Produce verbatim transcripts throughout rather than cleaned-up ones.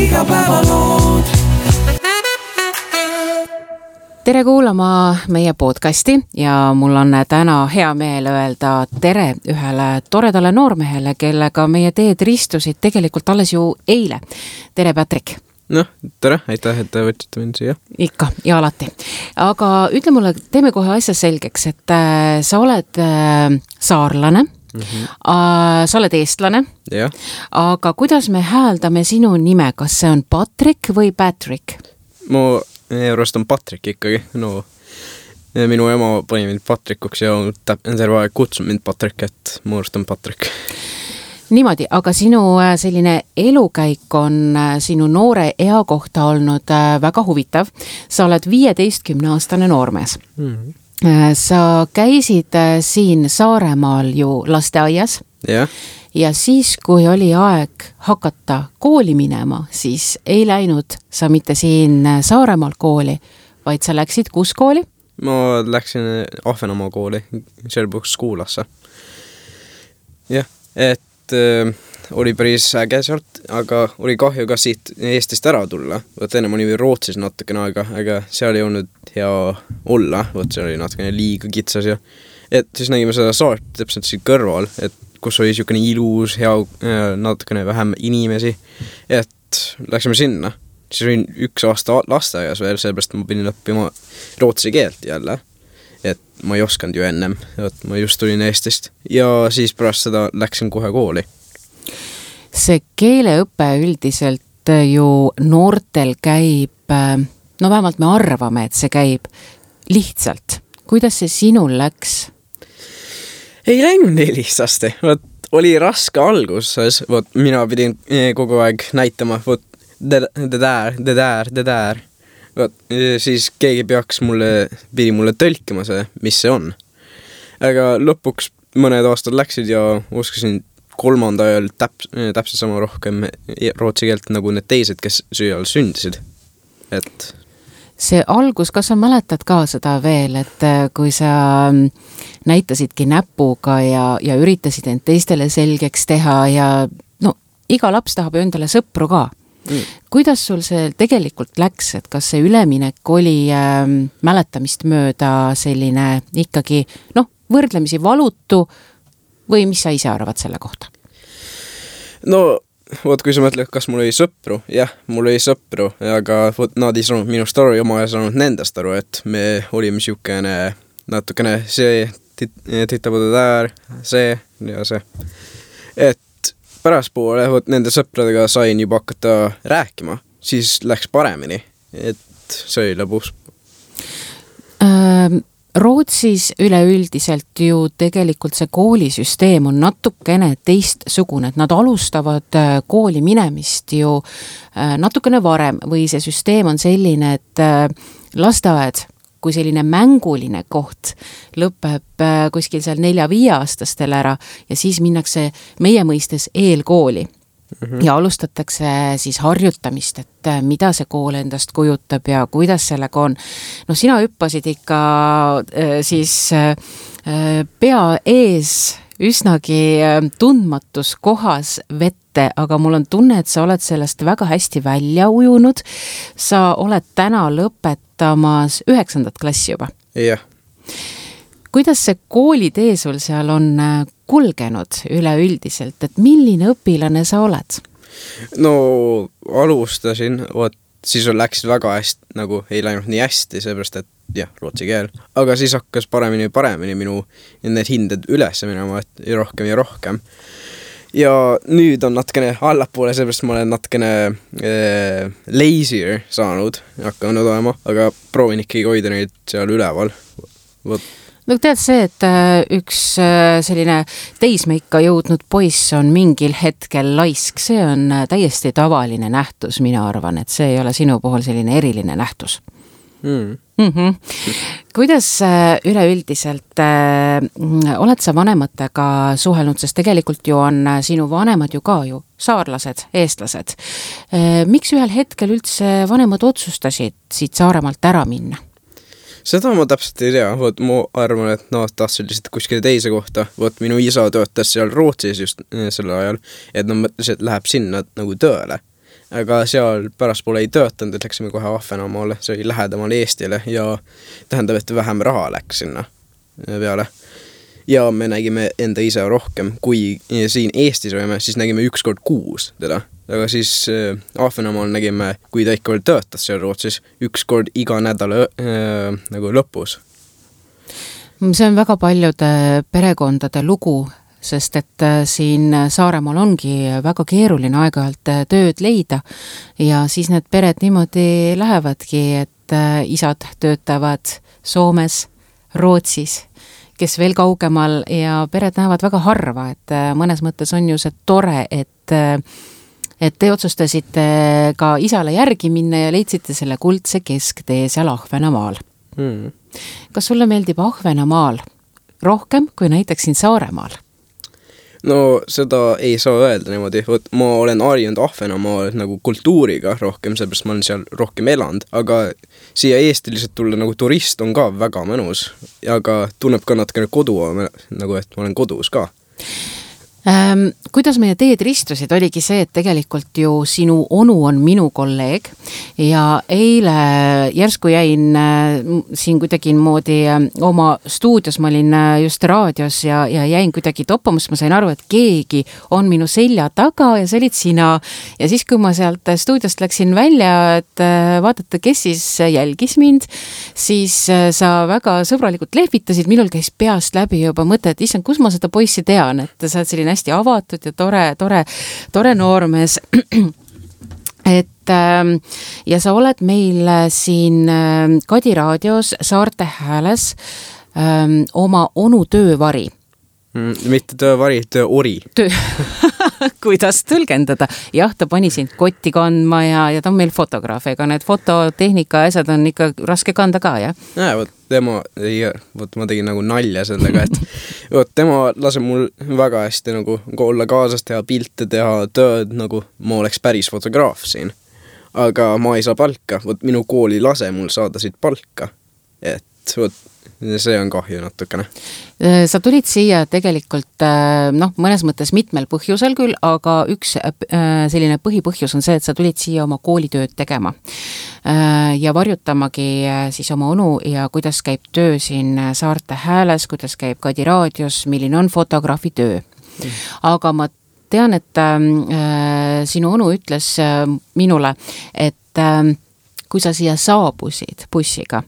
igapäevalood. Tere kuulama meie podcasti ja mul on täna hea meel öelda tere ühele toredale noormehele, kellega meie teed ristusid tegelikult alles ju eile. Tere, Patrick! Noh, tere, aitäh, et võtsite mind siia. Ikka ja alati. Aga ütle mulle, teeme kohe asja selgeks, et äh, sa oled äh, saarlane, mm-hmm. äh, sa oled eestlane, ja. Aga kuidas me hääldame sinu nime, kas see on Patrick või Patrick? Mu Eurost on Patrick ikkagi, no minu ema pani mind Patrickuks ja terve aeg kutsun mind Patrick, et mu arust on Patrick. Niimoodi, aga sinu selline elukäik on sinu noore ea kohta olnud väga huvitav. Sa oled viieteistkümne aastane noormees. Mm-hmm. Sa käisid siin Saaremaal ju lasteaias. Jah. Ja siis, kui oli aeg hakata kooli minema, siis ei läinud sa mitte siin Saaremaal kooli, vaid sa läksid kus kooli? Ma läksin Ahvenamaa kooli, Sherbrooke Schoolasse. Jah, et äh, oli päris äge sealt, aga oli kahju ka siit Eestist ära tulla. Võt enne ma oli Rootsis natukene aega, aga seal ei olnud hea olla. Võt see oli natukene liiga kitsas ja et siis nägime seda saart täpselt siin kõrval, et kus oli siukene ilus, hea, natukene vähem inimesi, et läksime sinna. Siis olin üks aasta lasteaias veel, sellepärast ma pidin õppima rootsi keelt jälle, et ma ei oskanud ju ennem, et ma just tulin Eestist ja siis pärast seda läksin kohe kooli. See keeleõpe üldiselt ju noortel käib, no vähemalt me arvame, et see käib lihtsalt. Kuidas see sinul läks? Ei läinud nii lihtsasti. Võt, oli raske alguses. Võt, mina pidin kogu aeg näitama, võt, the there, the there, the there. Võt, siis keegi peaks mulle, pidi mulle tõlkima see, mis see on. Aga lõpuks mõned aastad läksid ja oskasin kolmanda ajal täp, täpselt sama rohkem rootsi keelt nagu need teised, kes süüal sündisid. Et see algus, kas sa mäletad ka seda veel, et kui sa näitasidki näpuga ja, ja üritasid end teistele selgeks teha ja no, iga laps tahab ju endale sõpru ka. Mm. Kuidas sul see tegelikult läks, et kas see üleminek oli äh, mäletamist mööda selline ikkagi noh, võrdlemisi valutu või mis sa ise arvad selle kohta? No Vot, kui sa mõtled, kas mul oli sõpru, jah, mul oli sõpru, aga vot, nad ei saanud minust aru ja ma ei saanud nendest aru, et me olime siukene natukene see titapuda täär, see ja see. Et pärast poole, vot, nende sõpradega sain juba hakata rääkima, siis läks paremini, et see oli lõbus. Ähm. Rootsis üleüldiselt ju tegelikult see koolisüsteem on natukene teistsugune, et nad alustavad kooli minemist ju natukene varem või see süsteem on selline, et lasteaed kui selline mänguline koht lõpeb kuskil seal nelja-viie aastastel ära ja siis minnakse meie mõistes eelkooli. Mm-hmm. Ja alustatakse siis harjutamist, et mida see kool endast kujutab ja kuidas sellega on. No sina hüppasid ikka siis pea ees üsnagi tundmatus kohas vette, aga mul on tunne, et sa oled sellest väga hästi välja ujunud. Sa oled täna lõpetamas üheksandat klassi juba. Jah. Kuidas see koolitee sul seal on kulgenud üleüldiselt, et milline õpilane sa oled? No alustasin, vot, siis läksid väga hästi, nagu ei läinud nii hästi, seepärast, et jah, rootsi keel. Aga siis hakkas paremini paremini minu need hinded üles minema, et rohkem ja rohkem. Ja nüüd on natukene allapoole, seepärast ma olen natukene äh, lazier saanud, hakanud olema, aga proovin ikkagi hoida neid seal üleval. Vot. No tead see, et üks selline teismeikka jõudnud poiss on mingil hetkel laisk, see on täiesti tavaline nähtus, mina arvan, et see ei ole sinu puhul selline eriline nähtus. Mm. Mm-hmm. Kuidas üleüldiselt äh, oled sa vanematega suhelnud, sest tegelikult ju on sinu vanemad ju ka ju saarlased, eestlased. Äh, miks ühel hetkel üldse vanemad otsustasid siit Saaremaalt ära minna? Seda ma täpselt ei tea, vot ma arvan, et nad tahtsid lihtsalt kuskile teise kohta, vot minu isa töötas seal Rootsis just sellel ajal, et nad mõtlesid, et läheb sinna nagu tööle. aga seal pärastpoole ei töötanud, et läksime kohe Ahvenamaale, see oli lähedamal Eestile ja tähendab, et vähem raha läks sinna peale. Ja me nägime enda ise rohkem, kui siin Eestis olime, siis nägime üks kord kuus teda. Aga siis äh, Ahvenamaal nägime, kui ta ikka veel töötas seal Rootsis, üks kord iga nädala äh, nagu lõpus. See on väga paljude perekondade lugu, sest et siin Saaremaal ongi väga keeruline aeg-ajalt tööd leida ja siis need pered niimoodi lähevadki, et isad töötavad Soomes, Rootsis, kes veel kaugemal ja pered näevad väga harva, et mõnes mõttes on ju see tore, et et te otsustasite ka isale järgi minna ja leidsite selle kuldse kesktee seal Ahvenamaal. Hmm. Kas sulle meeldib Ahvenamaal rohkem kui näiteks siin Saaremaal? No seda ei saa öelda niimoodi, Võt, ma olen harjunud Ahvenamaal nagu kultuuriga rohkem, seepärast ma olen seal rohkem elanud, aga siia Eesti lihtsalt tulla nagu turist on ka väga mõnus, aga tunneb ka natukene kodu, nagu et ma olen kodus ka. Ähm, kuidas meie teed ristusid, oligi see, et tegelikult ju sinu onu on minu kolleeg ja eile järsku jäin äh, siin kuidagi moodi äh, oma stuudios, ma olin äh, just raadios ja, ja jäin kuidagi toppamus, ma sain aru, et keegi on minu selja taga ja see olid sina ja siis, kui ma sealt stuudiost läksin välja, et äh, vaadata, kes siis jälgis mind, siis äh, sa väga sõbralikult lehvitasid, minul käis peast läbi juba mõte, et issand, kus ma seda poissi tean, et sa oled selline hästi avatud ja tore, tore, tore noormees. Et ja sa oled meil siin Kadi raadios Saarte Hääles oma onu töövari. Mm, mitte töövari, tööori. Töö. Kuidas tõlgendada? Jah, ta pani sind kotti kandma ja, ja ta on meil fotograaf, ega need fototehnika asjad on ikka raske kanda ka, jah? Jaa, võt, tema, võt, ma tegin nagu nalja sellega, et võt, tema lase mul väga hästi nagu olla kaasas, teha pilte, teha tööd, nagu ma oleks päris fotograaf siin. Aga ma ei saa palka, võt, minu kooli lase mul saada siit palka, et võt, see on kahju natukene. Sa tulid siia tegelikult noh, mõnes mõttes mitmel põhjusel küll, aga üks selline põhipõhjus on see, et sa tulid siia oma koolitööd tegema ja varjutamagi siis oma onu ja kuidas käib töö siin Saarte Hääles, kuidas käib Kadi raadios, milline on fotograafi töö. Aga ma tean, et sinu onu ütles minule, et kui sa siia saabusid bussiga,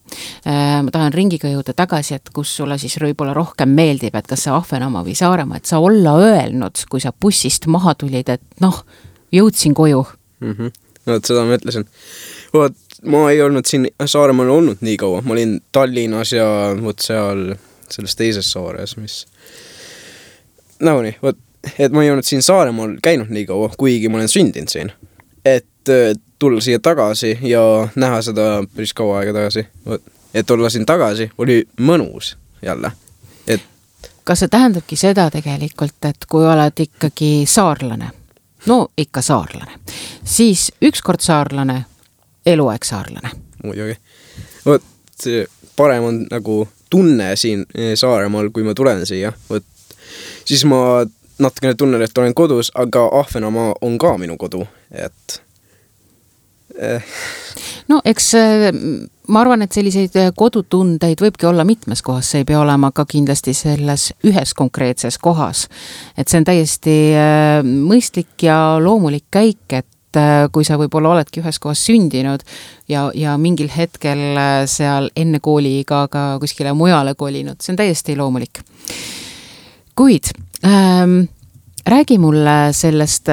ma tahan ringiga jõuda tagasi, et kus sulle siis võib-olla rohkem meeldib, et kas see Ahvenamaa või Saaremaa, et sa olla öelnud, kui sa bussist maha tulid, et noh, jõudsin koju. Mm-hmm. No, et seda ma ütlesin. Võt, ma ei olnud siin Saaremaal olnud nii kaua, ma olin Tallinnas ja võt seal selles teises saores, mis nagu nii, võt, et ma ei olnud siin Saaremaal käinud nii kaua, kuigi ma olen sündinud siin. Et tulla siia tagasi ja näha seda päris kaua aega tagasi. Et olla siin tagasi oli mõnus jälle. Et kas see tähendabki seda tegelikult, et kui oled ikkagi saarlane, no ikka saarlane, siis ükskord saarlane, eluaeg saarlane? Muidugi. Võt, parem on nagu tunne siin Saaremaal, kui ma tulen siia. Võt, siis ma natukene tunnen, et olen kodus, aga Ahvenamaa on ka minu kodu, et no eks ma arvan, et selliseid kodutundeid võibki olla mitmes kohas, see ei pea olema ka kindlasti selles ühes konkreetses kohas. Et see on täiesti mõistlik ja loomulik käik, et kui sa võib-olla oledki ühes kohas sündinud ja, ja mingil hetkel seal enne kooliiga ka kuskile mujale kolinud, see on täiesti loomulik. Kuid ähm, räägi mulle sellest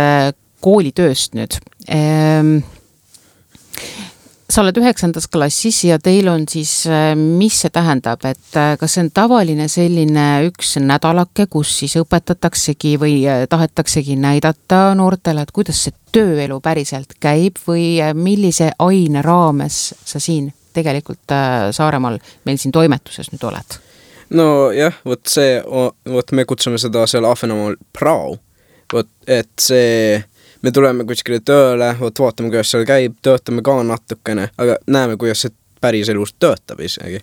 koolitööst nüüd. Ähm, Sa oled üheksandas klassis ja teil on siis, mis see tähendab, et kas see on tavaline selline üks nädalake, kus siis õpetataksegi või tahetaksegi näidata noortele, et kuidas see tööelu päriselt käib või millise aine raames sa siin tegelikult Saaremaal meil siin toimetuses nüüd oled? No jah, võt see, võt me kutsume seda seal Ahvenamaal prao, võt, et see me tuleme kuskile tööle, võt vaatame, kuidas seal käib, töötame ka natukene, aga näeme, kuidas see päris elus töötab isegi.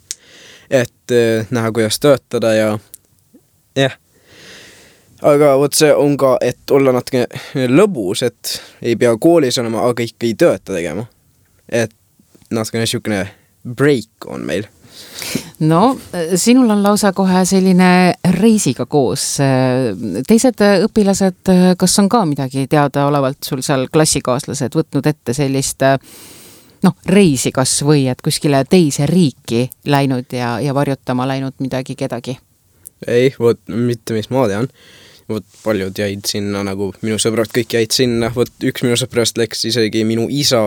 Et näha, kuidas töötada ja jah. aga vot see on ka, et olla natuke lõbus, et ei pea koolis olema, aga ikka ei tööta tegema. Et natuke niisugune break on meil. No, sinul on lausa kohe selline reisiga koos. Teised õpilased, kas on ka midagi teada olevalt sul seal klassikaaslased võtnud ette sellist noh, reisi kas või, et kuskile teise riiki läinud ja, ja varjutama läinud midagi kedagi? Ei, võt, mitte mis ma tean. Võt, paljud jäid sinna, nagu minu sõbrad kõik jäid sinna. Võt, üks minu sõbrast läks isegi minu isa,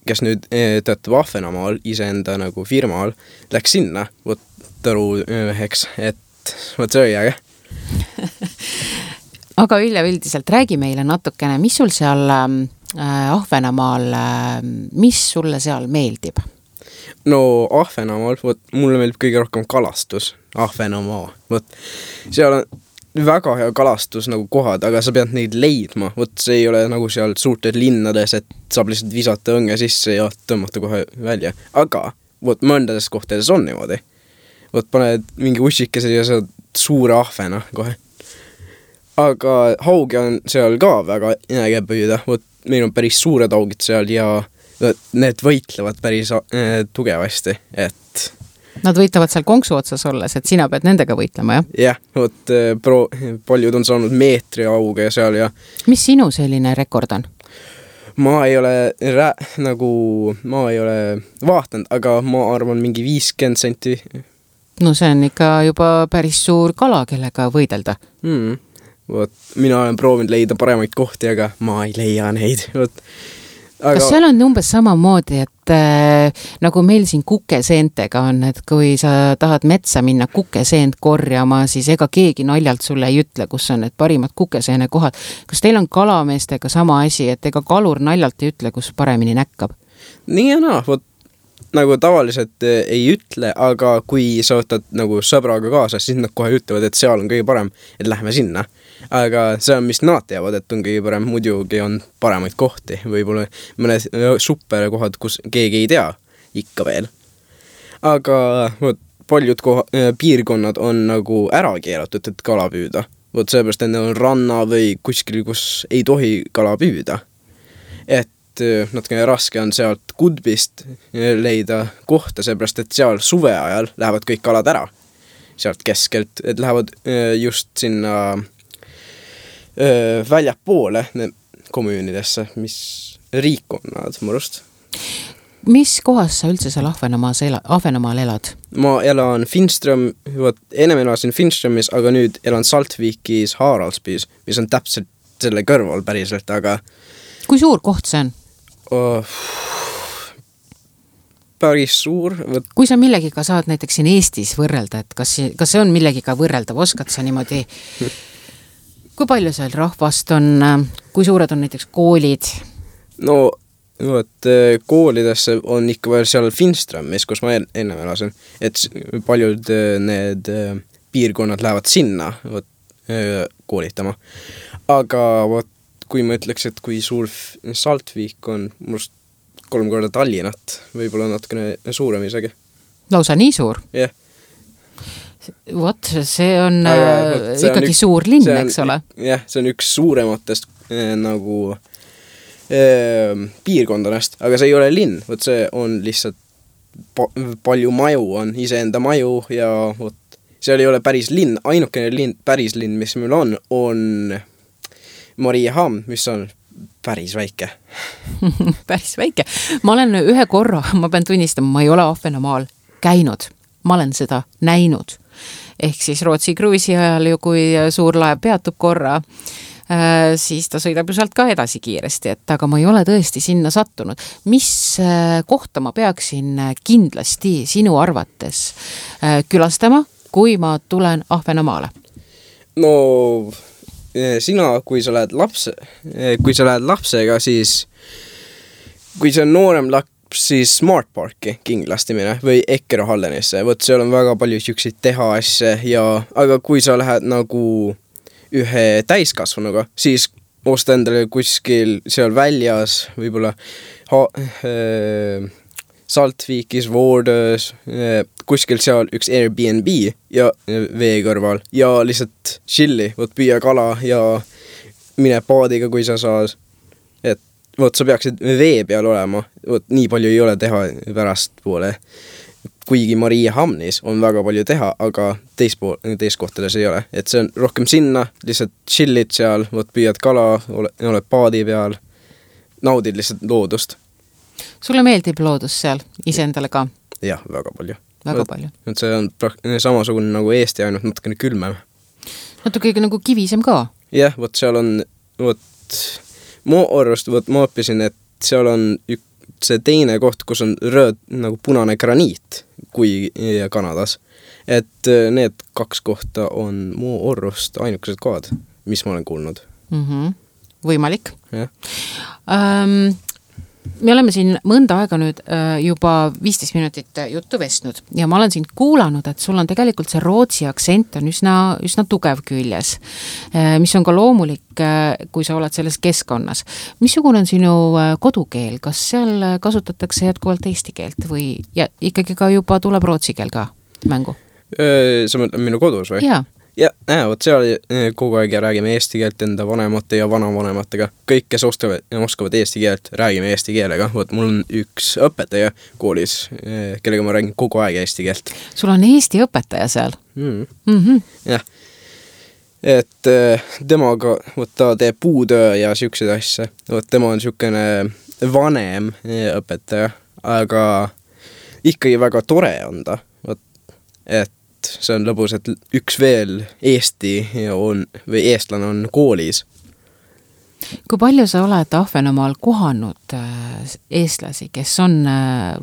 kes nüüd töötab Ahvenamaal iseenda nagu firmaal, läks sinna, võt taru üheks, et võt see oli äge. Aga üleüldiselt räägi meile natukene, mis sul seal äh, Ahvenamaal, äh, mis sulle seal meeldib? No Ahvenamaal, võt, mulle meeldib kõige rohkem kalastus, Ahvenamaa, võt, seal on väga hea kalastus nagu kohad, aga sa pead neid leidma, võt see ei ole nagu seal suurtes linnades, et saab lihtsalt visata õnge sisse ja tõmmata kohe välja, aga võt mõndades kohtades on niimoodi, võt paned mingi ussikese ja saad suure ahvena kohe, aga haugi on seal ka väga äge püüda, võt meil on päris suured haugid seal ja võt, need võitlevad päris äh, tugevasti, et Nad võitavad seal konksu otsas olles, et sina pead nendega võitlema, jah? Jah, võt pro, paljud on saanud meetri auge ja seal ja... Mis sinu selline rekord on? Ma ei ole rää, nagu, ma ei ole vaatanud, aga ma arvan mingi viiskümmend senti. No see on ikka juba päris suur kala, kellega võidelda. Mm, võt, mina olen proovinud leida paremaid kohti, aga ma ei leia neid, võt. Aga... Kas seal on umbes samamoodi, et äh, nagu meil siin kukeseentega on, et kui sa tahad metsa minna kukeseent korjama, siis ega keegi naljalt sulle ei ütle, kus on need parimad kukeseene kohad. Kas teil on kalameestega sama asi, et ega kalur naljalt ei ütle, kus paremini näkkab? Nii ja naa, võt, nagu tavaliselt ei ütle, aga kui sa võtad nagu sõbraga kaasa, siis nad kohe ütlevad, et seal on kõige parem, et lähme sinna. Aga see on, mis nad teavad, et on kõige parem, muidugi on paremaid kohti, võib-olla mõned super kohad, kus keegi ei tea ikka veel. Aga võt, paljud koha, piirkonnad on nagu ära keelatud, et kala püüda. Võt seepärast, et on ranna või kuskil, kus ei tohi kala püüda. Et natuke raske on sealt Kudbist leida kohta, seepärast, et seal suve ajal lähevad kõik kalad ära. Sealt keskelt, et lähevad just sinna väljad poole komüünidesse, mis riik on nad murust. Mis kohas sa üldse seal Ahvenamaal ela, Ahvenamaal elad? Ma elan Finström, võt, ennem elasin Finströmis, aga nüüd elan Saltvikis Haraldsbys, mis on täpselt selle kõrval päriselt, aga... Kui suur koht see on? Oh, päris suur. Võt... Kui sa millegiga saad näiteks siin Eestis võrrelda, et kas, kas see on millegiga võrreldav, oskad sa niimoodi... Kui palju seal rahvast on, kui suured on näiteks koolid? No, võt, koolidesse on ikka veel seal Finströmis, kus ma enne elasin, et paljud need piirkonnad lähevad sinna võt, koolitama. Aga võt, kui ma ütleks, et kui suur Saltvik on, must kolm korda Tallinnat, võib-olla natukene suurem isegi. Lausa nii suur? Jah. Yeah. Vot, see on Aga, see ikkagi on üks, suur linn, on, eks ole? Jah, see on üks suurematest eh, nagu eh, piirkondadest, aga see ei ole linn, vot see on lihtsalt pa, palju maju on, iseenda maju ja vot, seal ei ole päris linn, ainukene linn, päris linn, mis meil on, on Mariehamn, mis on päris väike. Päris väike. Ma olen ühe korra, ma pean tunnistama, ma ei ole Ahvenamaal käinud, ma olen seda näinud. Ehk siis Rootsi kruisi ajal ju, kui suur laev peatub korra, äh, siis ta sõidab ju sealt ka edasi kiiresti, et aga ma ei ole tõesti sinna sattunud. Mis äh, kohta ma peaksin kindlasti sinu arvates äh, külastama, kui ma tulen Ahvenamaale? No sina, kui sa lähed lapse, kui sa lähed lapsega, siis kui see on noorem laps, siis Smart Parki kindlasti mine või Ekkero Hallenisse, võt seal on väga palju siukseid teha asja ja, aga kui sa lähed nagu ühe täiskasvanuga, siis osta endale kuskil seal väljas võib-olla ha, äh, Saltvikis, Voordöös, kuskil seal üks Airbnb ja vee kõrval ja lihtsalt chilli, võt püüa kala ja mine paadiga, kui sa saad. Et võt, sa peaksid vee peal olema, võt, nii palju ei ole teha pärast poole. Kuigi Maria Hamnis on väga palju teha, aga teist, pool, teist kohtades ei ole. Et see on rohkem sinna, lihtsalt chillid seal, võt püüad kala, ole, oled paadi peal, naudid lihtsalt loodust. Sulle meeldib loodus seal iseendale ka? Jah, väga palju. Väga võt, palju. Et see on samasugune nagu Eesti, ainult natukene külmem. Natuke nagu kivisem ka? Jah, võt seal on, võt, mu arvast, võt, ma õppisin, et seal on ük, see teine koht, kus on rööd nagu punane graniit, kui Kanadas. Et need kaks kohta on mu arvast ainukesed kohad, mis ma olen kuulnud. Mm-hmm. Võimalik. Jah. Um, me oleme siin mõnda aega nüüd juba viisteist minutit juttu vestnud ja ma olen sind kuulanud, et sul on tegelikult see rootsi aktsent on üsna, üsna tugev küljes, mis on ka loomulik, kui sa oled selles keskkonnas. Missugune on sinu kodukeel? Kas seal kasutatakse jätkuvalt eesti keelt või ja ikkagi ka juba tuleb rootsi keel ka mängu? Sa mõtled minu kodus või? Jaa. Ja, äh, võt seal kogu aeg räägime eesti keelt enda vanemate ja vanavanematega. Kõik, kes oskavad, oskavad eesti keelt, räägime eesti keelega. Võt, mul on üks õpetaja koolis, kellega ma räägin kogu aeg eesti keelt. Sul on eesti õpetaja seal? Mm. Mm-hmm. Jah. Et temaga, võt, ta teeb puutöö ja siukseid asja. Võt, tema on siukene vanem õpetaja, aga ikkagi väga tore on ta. Võt, et see on lõbus, et üks veel Eesti on, või eestlane on koolis. Kui palju sa oled Ahvenamaal kohanud eestlasi, kes on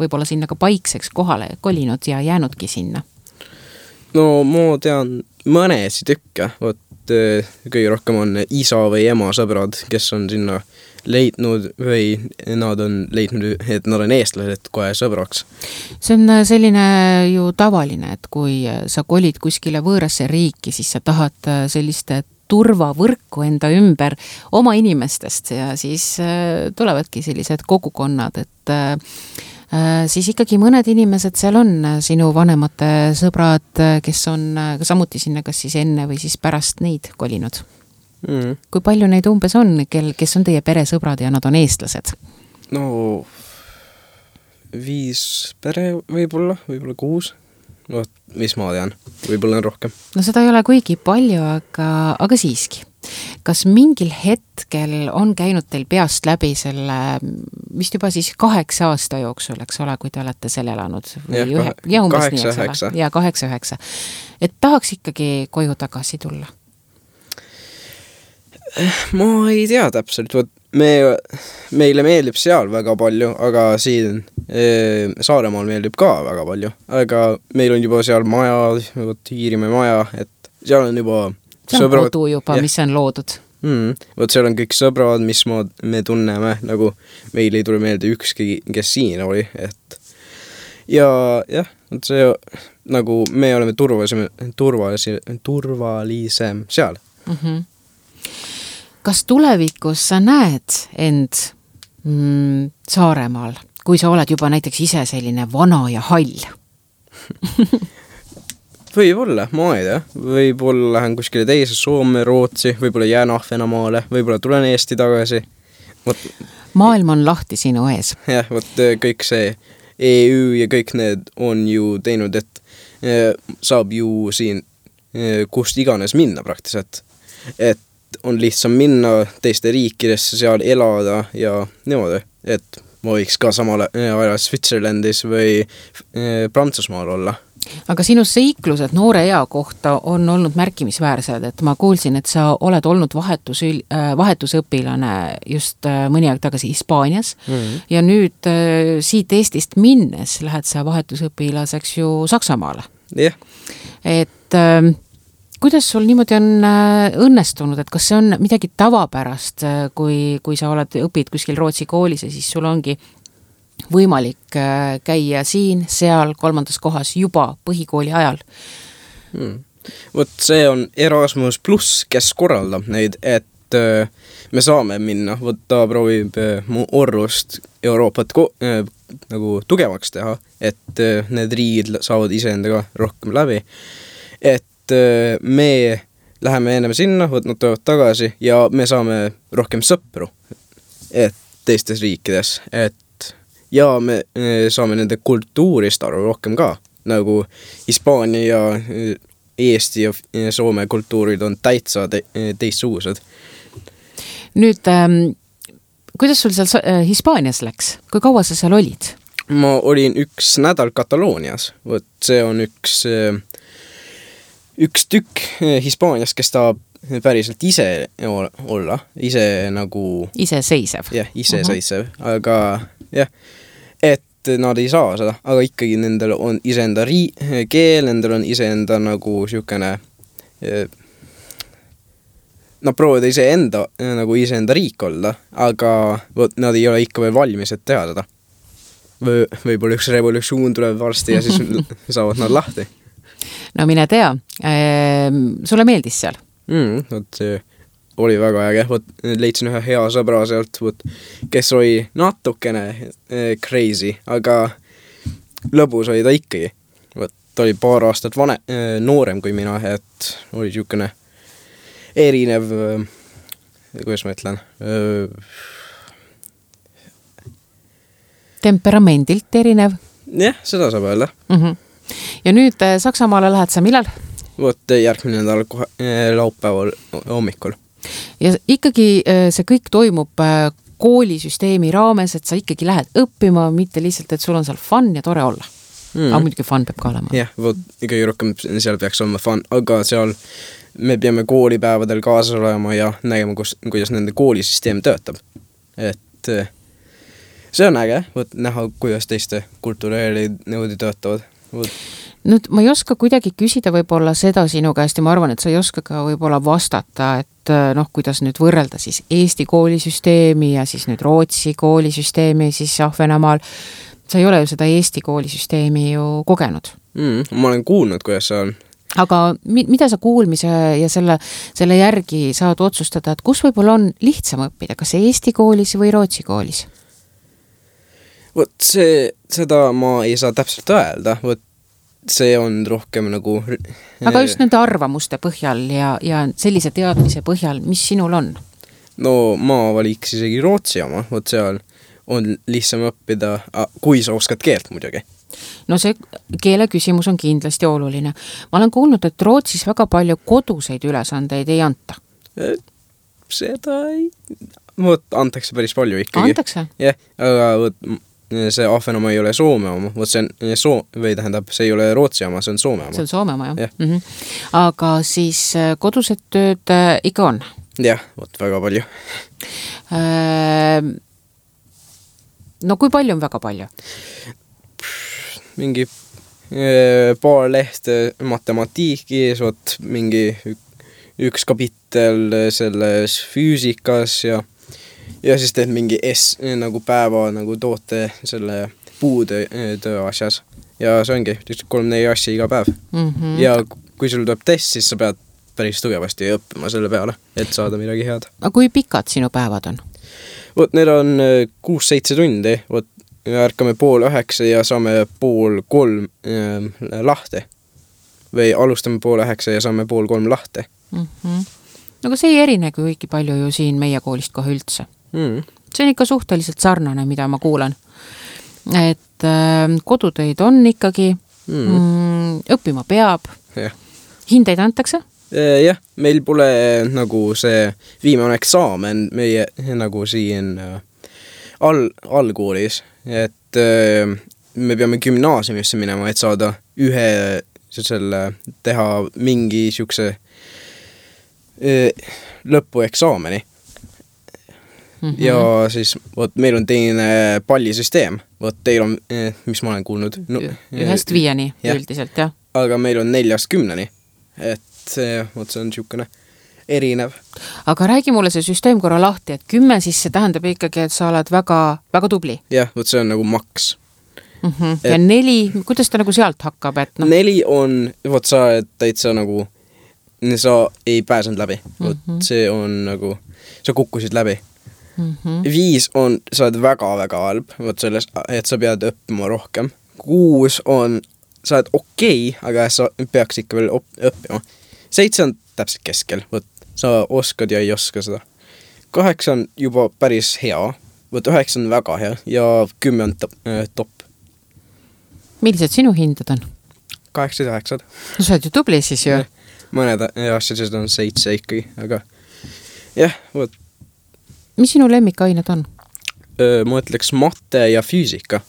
võib-olla sinna ka paikseks kohale kolinud ja jäänudki sinna? No ma tean mõnesi tükke, võt kõige rohkem on isa või ema sõbrad, kes on sinna leidnud või nad on leidnud, et nad on eestlased kohe sõbraks. See on selline ju tavaline, et kui sa kolid kuskile võõrasse riiki, siis sa tahad sellist turvavõrku enda ümber oma inimestest ja siis tulevadki sellised kogukonnad, et siis ikkagi mõned inimesed seal on sinu vanemate sõbrad, kes on samuti sinna kas siis enne või siis pärast neid kolinud. Mm. Kui palju neid umbes on, kel, kes on teie peresõbrad ja nad on eestlased? No viis pere võib-olla, võib-olla kuus. No, mis ma tean, võib-olla on rohkem. No seda ei ole kuigi palju, aga, aga siiski. Kas mingil hetkel on käinud teil peast läbi selle, vist juba siis kaheksa aasta jooksul, eks ole, kui te olete seal elanud? Ja, ühe, ja kaheksa, üheksa. Ja kaheksa, üheksa. Et tahaks ikkagi koju tagasi tulla? Ma ei tea täpselt, võt, me, meile meeldib seal väga palju, aga siin e, Saaremaal meeldib ka väga palju, aga meil on juba seal maja, võt, Hiirimäe maja, et seal on juba see on sõbrad, kodu juba, ja, mis on loodud. Mm, võt, seal on kõik sõbrad, mis ma, me tunneme, nagu meil ei tule meelde ükski, kes siin oli, et ja jah, võt see nagu me oleme turvalisem, turvalisem, turvalisem seal. Mhm. Kas tulevikus sa näed end mm, Saaremaal, kui sa oled juba näiteks ise selline vana ja hall? Võib-olla, ma ei tea. Võib-olla lähen kuskile teise Soome, Rootsi, võib-olla jään Ahvenamaale, võib-olla tulen Eesti tagasi. Võt... Maailm on lahti sinu ees. Jah, võt kõik see E U ja kõik need on ju teinud, et eh, saab ju siin eh, kust iganes minna praktiliselt. Et on lihtsam minna teiste riikidesse, seal elada ja niimoodi, et ma võiks ka samal ajal Switzerlandis või Prantsusmaal olla. Aga sinu seiklused noore ea kohta on olnud märkimisväärsed, et ma kuulsin, et sa oled olnud vahetus, vahetusõpilane just mõni aeg tagasi Hispaanias mm-hmm. ja nüüd siit Eestist minnes lähed sa vahetusõpilaseks ju Saksamaale. Jah. Et kuidas sul niimoodi on õnnestunud, et kas see on midagi tavapärast, kui, kui sa oled, õpid kuskil Rootsi koolis ja siis sul ongi võimalik käia siin, seal, kolmandas kohas juba põhikooli ajal? Hmm. Võt see on Erasmus pluss, kes korraldab neid, et et äh, me saame minna, vot ta proovib äh, mu Orrust Euroopat ko- äh, nagu tugevaks teha, et äh, need riigid saavad iseendaga rohkem läbi, et äh, me läheme ennem sinna, vot nad tulevad tagasi ja me saame rohkem sõpru, et teistes riikides, et ja me saame nende kultuurist aru rohkem ka, nagu Hispaania ja Eesti ja Soome kultuurid on täitsa te- teistsugused. Nüüd, ähm, kuidas sul seal äh, Hispaanias läks? Kui kaua sa seal olid? Ma olin üks nädal Kataloonias, vot see on üks, üks tükk Hispaanias, kes tahab päriselt ise olla, ise nagu... Iseseisev. Jah, iseseisev, uh-huh. aga jah, et nad ei saa seda, aga ikkagi nendel on iseenda rii- keel, nendel on iseenda nagu siukene, nad proovivad iseenda, nagu iseenda riik olla, aga võt, nad ei ole ikka veel valmis, et teha seda. Või, võib-olla üks revolutsioon tuleb varsti ja siis saavad nad lahti. No mine tea, ehm, sulle meeldis seal? Mm, võt, see oli väga äge, võt, leidsin ühe hea sõbra sealt, võt, kes oli natukene eh, crazy, aga lõbus oli ta ikkagi. Võt, ta oli paar aastat vane, eh, noorem kui mina, et oli siukene erinev, eh, kuidas ma ütlen, eh, temperamendilt erinev? Jah, seda saab öelda. Mm-hmm. Ja nüüd eh, Saksamaale lähed sa millal? Võt, järgmine nädal kohe, eh, laupäeval hommikul. Ja ikkagi see kõik toimub koolisüsteemi raames, et sa ikkagi lähed õppima, mitte lihtsalt, et sul on seal fun ja tore olla. Mm. Aga muidugi fun peab ka olema. Jah, võt, ikkagi rohkem seal peaks olema fun, aga seal me peame koolipäevadel kaasas olema ja nägema, kus, kuidas nende koolisüsteem töötab. Et see on äge, võt, näha, kuidas teiste kultureerid nõudi töötavad. Võt. Nüüd ma ei oska kuidagi küsida võib-olla seda sinu käest ja ma arvan, et sa ei oska ka võib-olla vastata, et noh, kuidas nüüd võrrelda siis Eesti koolisüsteemi ja siis nüüd Rootsi koolisüsteemi siis Ahvenamaal. Sa ei ole ju seda Eesti koolisüsteemi ju kogenud. Mm, ma olen kuulnud, kuidas see on. Aga mi- mida sa kuulmise ja selle, selle järgi saad otsustada, et kus võib-olla on lihtsam õppida, kas Eesti koolis või Rootsi koolis? Võt, see, seda ma ei saa täpselt öelda, võt, see on rohkem nagu... Aga just nende arvamuste põhjal ja, ja sellise teadmise põhjal, mis sinul on? No ma valiks isegi Rootsi oma, võt seal on lihtsam õppida, kui sa oskad keelt muidugi. No see keele küsimus on kindlasti oluline. Ma olen kuulnud, et Rootsis väga palju koduseid ülesandeid ei anta. Seda ei... Võt, antakse päris palju ikkagi. Antakse? Jah, aga võt... see Ahvenamaa ei ole Soome oma, võt see on soo- või tähendab, see ei ole Rootsi oma, see on Soome oma. See on Soome oma, jah. jah. Mm-hmm. Aga siis kodused tööd ikka on? Jah, võt väga palju. No kui palju on väga palju? Mingi paar lehte matematiikis, võt mingi üks kapitel selles füüsikas ja ja siis teed mingi S nagu päeva nagu toote selle puude töö asjas ja see ongi kolm-neli asja iga päev. Mm-hmm. Ja kui sul tuleb test, siis sa pead päris tugevasti õppima selle peale, et saada midagi head. Aga kui pikad sinu päevad on? Võt, need on kuus-seitse tundi, võt, ärkame pool üheksa ja saame pool kolm äh, lahti. Või alustame pool üheksa ja saame pool kolm lahti. Mm-hmm. Aga see ei erinegi õigi palju ju siin meie koolist kohe üldse. Mm. See on ikka suhteliselt sarnane, mida ma kuulan. Et äh, kodutöid on ikkagi, mm. Mm, õppima peab. Yeah. Hindeid antakse? Jah, yeah, meil pole nagu see viimane eksaamen meie nagu siin äh, all, allkoolis, et äh, me peame gümnaasiumisse minema, et saada ühe selle, teha mingi siukse äh, lõpueksaameni. Mm-hmm. Ja siis, võt, meil on teine pallisüsteem, võt, teil on, mis ma olen kuulnud no, ühest viieni ja. Üldiselt, jah. Aga meil on neljast kümneni, et see, võt, see on niisugune erinev. Aga räägi mulle see süsteem korra lahti, et kümme siis see tähendab ikkagi, et sa oled väga, väga tubli. Jah, võt, see on nagu maks. Mm-hmm. Ja et, neli, kuidas ta nagu sealt hakkab? Et no? Neli on, võt, sa oled täitsa nagu sa ei pääsenud läbi. Vot mm -hmm. see on nagu, sa kukkusid läbi. Mm -hmm. Viis on, sa oled väga-väga halb, vot selles, et sa pead õppima rohkem. Kuus on, sa oled okei, okay, aga sa peaks ikka veel õppima. Seitse on täpselt keskel, vot sa oskad ja ei oska seda. Kaheksa on juba päris hea, vot üheksa on väga hea ja kümme on top. top. Millised sinu hinded on? Kaheksad ja üheksad. No sa oled ju tubli siis ju. Mõned asjad on seitse ikkagi, aga jah, vot. Mis sinu lemmikained on? Ma ütleks mate ja füüsika.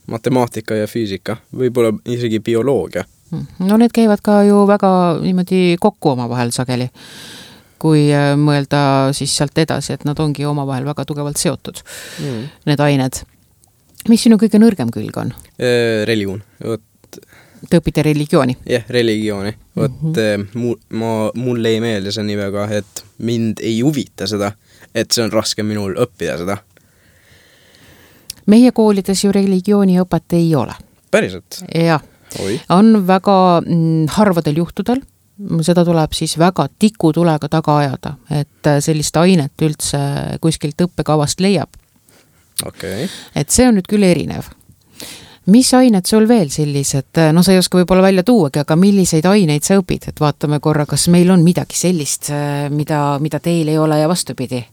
Matemaatika ja füüsika. Võib-olla isegi bioloogia. No need käivad ka ju väga niimoodi kokku oma vahel sageli. Kui mõelda siis sealt edasi, et nad ongi oma vahel väga tugevalt seotud, mm. need ained. Mis sinu kõige nõrgem külg on? Religioon. Vot. Te õpite religiooni? Jah, religiooni. Vot mm -hmm. mu, ma, mulle ei meelde see nii väga, et mind ei huvita seda, et see on raske minul õppida seda. Meie koolides ju religiooniõpet ei ole. Päriselt? Jah. Oi. On väga mm, harvadel juhtudel. Seda tuleb siis väga tikutulega taga ajada, et sellist ainet üldse kuskilt õppekavast leiab. Okay. Et see on nüüd küll erinev. Mis ained sul veel sellised, no sa ei oska võib-olla välja tuuagi, aga milliseid aineid sa õpid, et vaatame korra, kas meil on midagi sellist, mida, mida teil ei ole ja vastupidi?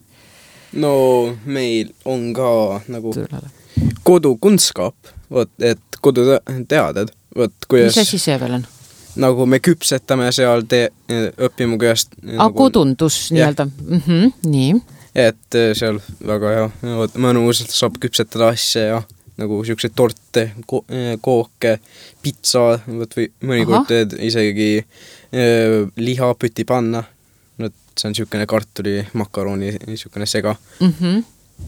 No meil on ka nagu kodukunstskaap, vot, et koduteaded. Vot, kuidas, mis asi see veel on? Nagu me küpsetame seal te, õppima kuidas... A, nagu, kodundus nii-öelda. Mm -hmm, nii. Et seal väga hea, vot, mõnus saab küpsetada asja ja nagu siukseid torte, ko kooke, pitsa, vot, või mõnikord teed isegi äh, lihapüti panna. Vot, see on siukene kartuli, makaroni, siukene sega. Mm -hmm.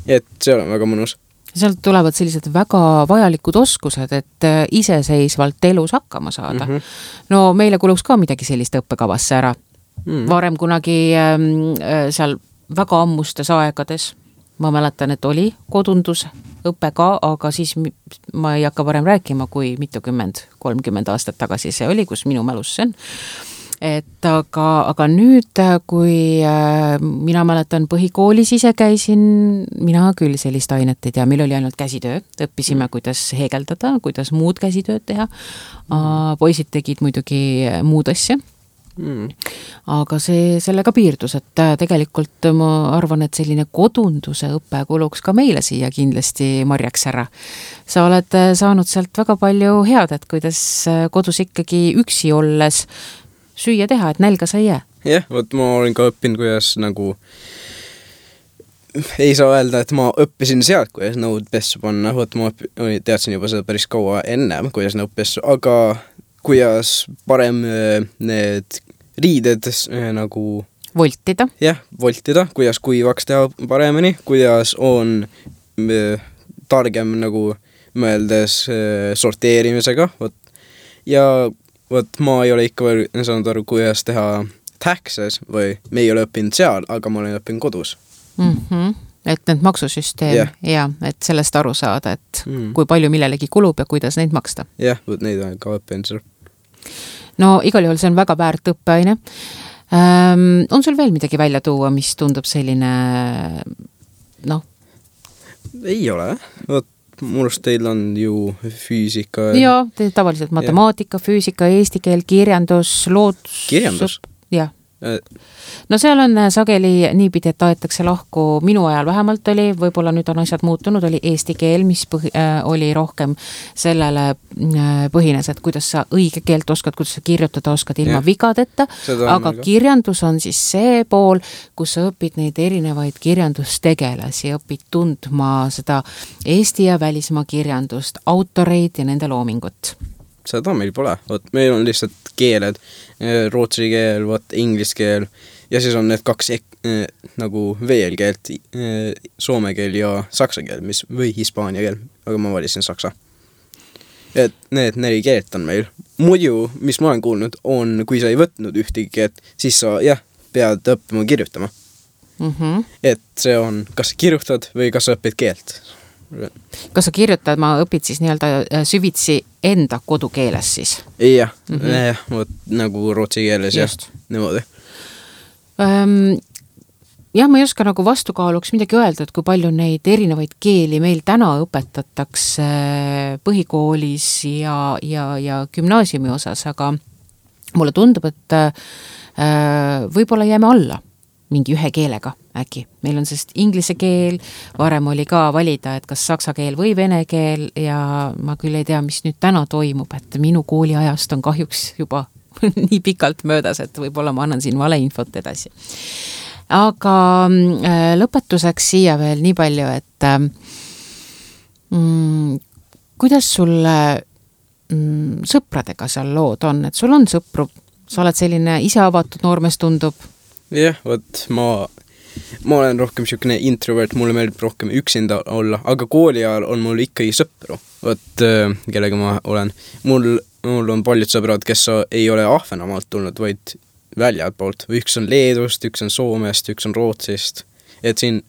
Et see on väga mõnus. Sealt tulevad sellised väga vajalikud oskused, et iseseisvalt elus hakkama saada. Mm -hmm. No meile kuluks ka midagi sellist õppekavasse ära. Mm. Varem kunagi äh, seal väga ammustes aegades, ma mäletan, et oli kodundus õpe ka, aga siis ma ei hakka varem rääkima, kui mitukümmend, kolmkümmend aastat tagasi see oli, kus minu mälus see on. Et aga, aga nüüd, kui äh, mina mäletan põhikoolis ise käisin, mina küll sellist ainet ei tea, meil oli ainult käsitöö, õppisime, kuidas heegeldada, kuidas muud käsitööd teha. Mm. Poisid tegid muidugi muud asja. Mm. Aga see sellega piirdus, et tegelikult ma arvan, et selline kodunduse õpe kuluks ka meile siia kindlasti marjaks ära. Sa oled saanud sealt väga palju head, et kuidas kodus ikkagi üksi olles süüa teha, et nälga sa ei jää. Jah, vot ma olen ka õppinud, kuidas nagu ei saa öelda, et ma õppisin sealt, kuidas nõud pessu panna, vot ma teadsin juba seda päris kaua ennem, kuidas nõud pessu, aga kuidas parem need riided nagu voltida. Jah, voltida, kuidas kuivaks teha paremini, kuidas on targem nagu mõeldes sorteerimisega, vot. Ja vot ma ei ole ikka veel saanud aru, kuidas teha taxes või me ei ole õppinud seal, aga ma olen õppinud kodus. Mm -hmm. Et need maksusüsteem yeah. ja et sellest aru saada, et mm. kui palju millelegi kulub ja kuidas neid maksta. Jah, yeah, vot neid on ka õppinud seal. No igal juhul see on väga väärt õppeaine. Ähm, on sul veel midagi välja tuua, mis tundub selline, noh? Ei ole, vot. Murust teil on ju füüsika. Joo, tavaliselt matemaatika, füüsika, eesti keel, kirjandus, loodus. Kirjandus? Jah. No seal on sageli niipidi, et aetakse lahku, minu ajal vähemalt oli, võib-olla nüüd on asjad muutunud, oli eesti keel, mis põhi, äh, oli rohkem sellele äh, põhines, et kuidas sa õige keelt oskad, kuidas sa kirjutada oskad ilma ja. vigadeta, aga kirjandus on siis see pool, kus sa õpid neid erinevaid kirjandustegelasi, õpid tundma seda Eesti ja välismaa kirjandust, autoreid ja nende loomingut. Seda meil pole, vot meil on lihtsalt keeled, rootsi keel, vot inglis keel ja siis on need kaks ek, eh, nagu veel keelt, eh, soome keel ja saksa keel, mis, või hispaania keel, aga ma valisin saksa. Et need neli keelt on meil. Muidu, mis ma olen kuulnud, on, kui sa ei võtnud ühtegi keelt, siis sa jah, pead õppima kirjutama. Mm -hmm. Et see on, kas sa kirjutad või kas sa õpid keelt. Kas sa kirjutad, ma õpid siis nii-öelda süvitsi enda kodukeeles siis? Jah, mm -hmm. jah, võt, nagu rootsi keeles ja niimoodi. Um, jah, ma ei oska nagu vastukaaluks midagi öelda, et kui palju neid erinevaid keeli meil täna õpetatakse põhikoolis ja, ja, ja gümnaasiumi osas, aga mulle tundub, et äh, võib-olla jääme alla mingi ühe keelega äkki. Meil on sest inglise keel, varem oli ka valida, et kas saksa keel või vene keel ja ma küll ei tea, mis nüüd täna toimub, et minu kooliajast on kahjuks juba nii pikalt möödas, et võib-olla ma annan siin valeinfot edasi. Aga äh, lõpetuseks siia veel nii palju, et äh, mm, kuidas sulle mm, sõpradega seal lood on, et sul on sõpru, sa oled selline ise avatud noormees tundub? Jah, võt, ma, ma olen rohkem siukene introvert, mulle meeldib rohkem üksinda olla, aga kooli ajal on mul ikkagi sõpru, võt, kellega ma olen. Mul, mul on paljud sõbrad, kes ei ole Ahvenamaalt tulnud, vaid väljad poolt. Üks on Leedust, üks on Soomest, üks on Rootsist. Et siin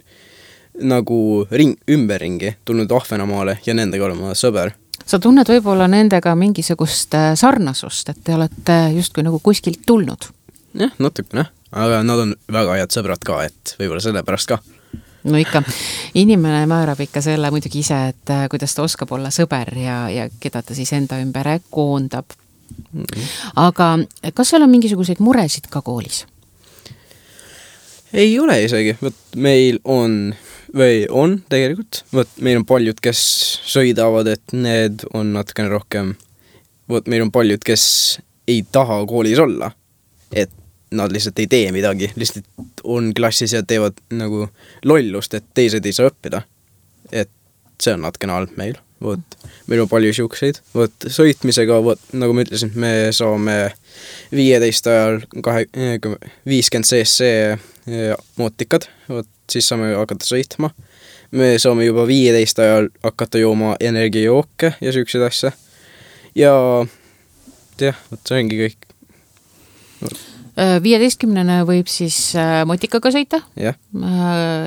nagu ring, ümberringi tulnud Ahvenamaale ja nendega olema sõber. Sa tunned võib-olla nendega mingisugust sarnasust, et te olete justkui nagu kuskilt tulnud? Jah, natukene. Aga nad on väga head sõbrad ka, et võib-olla selle pärast ka. No ikka, inimene määrab ikka selle muidugi ise, et kuidas ta oskab olla sõber ja, ja keda ta siis enda ümber koondab. Mm-hmm. Aga kas seal on mingisuguseid muresid ka koolis? Ei ole isegi. Võt, meil on, või on tegelikult, võt, meil on paljud, kes sõidavad, et need on natukene rohkem, võt, meil on paljud, kes ei taha koolis olla, et nad lihtsalt ei tee midagi, lihtsalt on klassis ja teevad nagu lollust, et teised ei saa õppida. Et see on natukene halb meil. Võt, meil on palju siukseid. Võt, sõitmisega, võt, nagu ma ütlesin, me saame viieteist ajal viiskümmend cc mootikad, võt, siis saame hakata sõitma. Me saame juba viieteist ajal hakata jooma energiajooke ja siukseid asja. Ja jah, võt, see ongi kõik. Võt. viieteistkümnene võib siis motikaga sõita ja,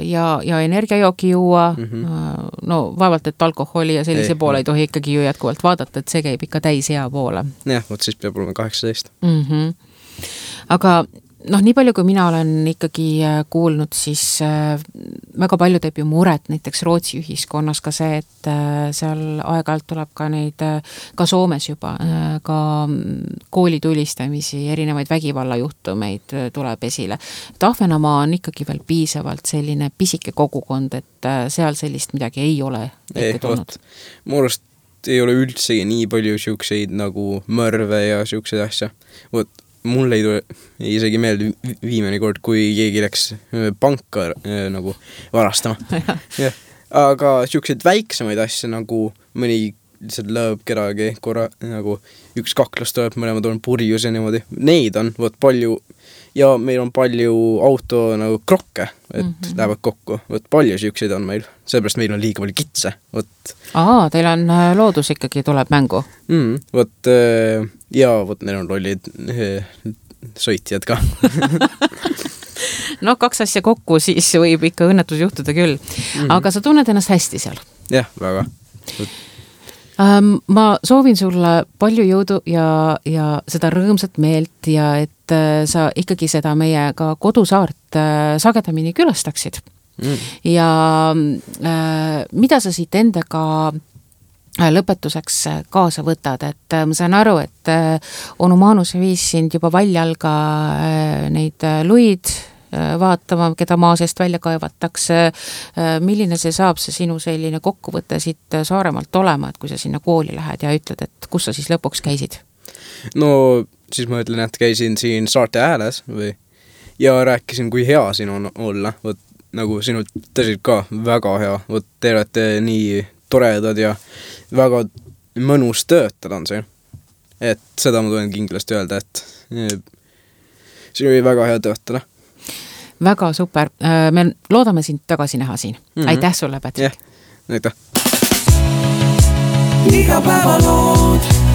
ja, ja energiajooki juua, mm -hmm. no vaevalt, et alkoholi ja sellise ei, poole ei tohi ikkagi ju jätkuvalt vaadata, et see käib ikka täis hea poole. Jah, vot siis peab olema kaheksateist. Mm -hmm. Aga noh, nii palju kui mina olen ikkagi kuulnud, siis väga palju teeb ju muret näiteks Rootsi ühiskonnas ka see, et seal aeg-ajalt tuleb ka neid, ka Soomes juba, ka koolitulistamisi, erinevaid vägivallajuhtumeid tuleb esile. Et Ahvenamaa on ikkagi veel piisavalt selline pisike kogukond, et seal sellist midagi ei ole ette tulnud. Mu arust ei ole üldsegi nii palju siukseid nagu mõrve ja siukseid asja. Vot mul ei tule isegi meelde viimane kord, kui keegi läks panka äh, nagu varastama. Ja. Aga siukseid väiksemaid asja nagu mõni lihtsalt lõõb kedagi korra, nagu üks kaklus tuleb, mõlemad on purjus ja niimoodi. Neid on võt palju ja meil on palju auto nagu krokke, et mm -hmm. lähevad kokku. Võt palju siukseid on meil, seepärast meil on liiga palju kitse. Võt. Aa, teil on loodus ikkagi tuleb mängu. Mm, võt, ja võt, neil on lollid sõitjad ka. No kaks asja kokku, siis võib ikka õnnetus juhtuda küll. Mm-hmm. Aga sa tunned ennast hästi seal? Jah, väga. Ähm, ma soovin sulle palju jõudu ja, ja seda rõõmsat meelt ja et äh, sa ikkagi seda meie ka kodusaart äh, sagedamini külastaksid. Mm. Ja äh, mida sa siit endaga lõpetuseks kaasa võtad, et ma saan aru, et onu Maanus viis sind juba väljalga neid luid vaatama, keda maa seest välja kaevatakse. Milline see saab see sinu selline kokkuvõte siit Saaremaalt olema, et kui sa sinna kooli lähed ja ütled, et kus sa siis lõpuks käisid? No siis ma ütlen, et käisin siin Saarte ääles või ja rääkisin, kui hea siin on olla. Võt, nagu sinult tõsiselt ka väga hea. Võt, te olete nii toredad ja väga mõnus töötada on see. Et seda ma tulen kindlasti öelda, et siin oli väga hea töötada. Väga super. Me loodame sind tagasi näha siin. Mm-hmm. Aitäh sulle, Patrick. Jah, aitäh. Iga päeva lood.